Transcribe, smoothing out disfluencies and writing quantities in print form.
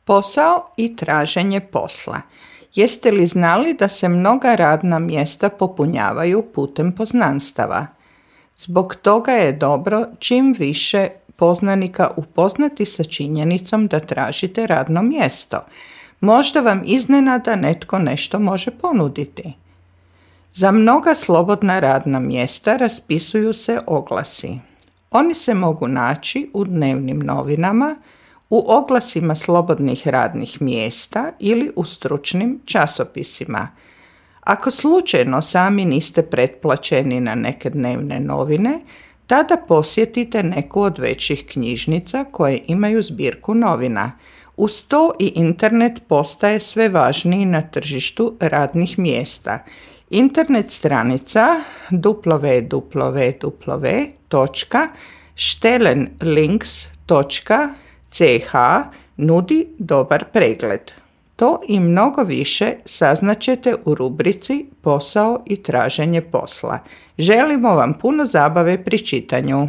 Posao i traženje posla. Jeste li znali da se mnoga radna mjesta popunjavaju putem poznanstava? Zbog toga je dobro čim više poznanika upoznati sa činjenicom da tražite radno mjesto. Možda vam iznenada netko nešto može ponuditi. Za mnoga slobodna radna mjesta raspisuju se oglasi. Oni se mogu naći u dnevnim novinama, u oglasima slobodnih radnih mjesta ili u stručnim časopisima. Ako slučajno sami niste pretplaćeni na neke dnevne novine, tada posjetite neku od većih knjižnica koje imaju zbirku novina. Uz to i internet postaje sve važniji na tržištu radnih mjesta. Internet stranica www.stellenlinks.ch nudi dobar pregled. To i mnogo više saznaćete u rubrici Posao i traženje posla. Želimo vam puno zabave pri čitanju.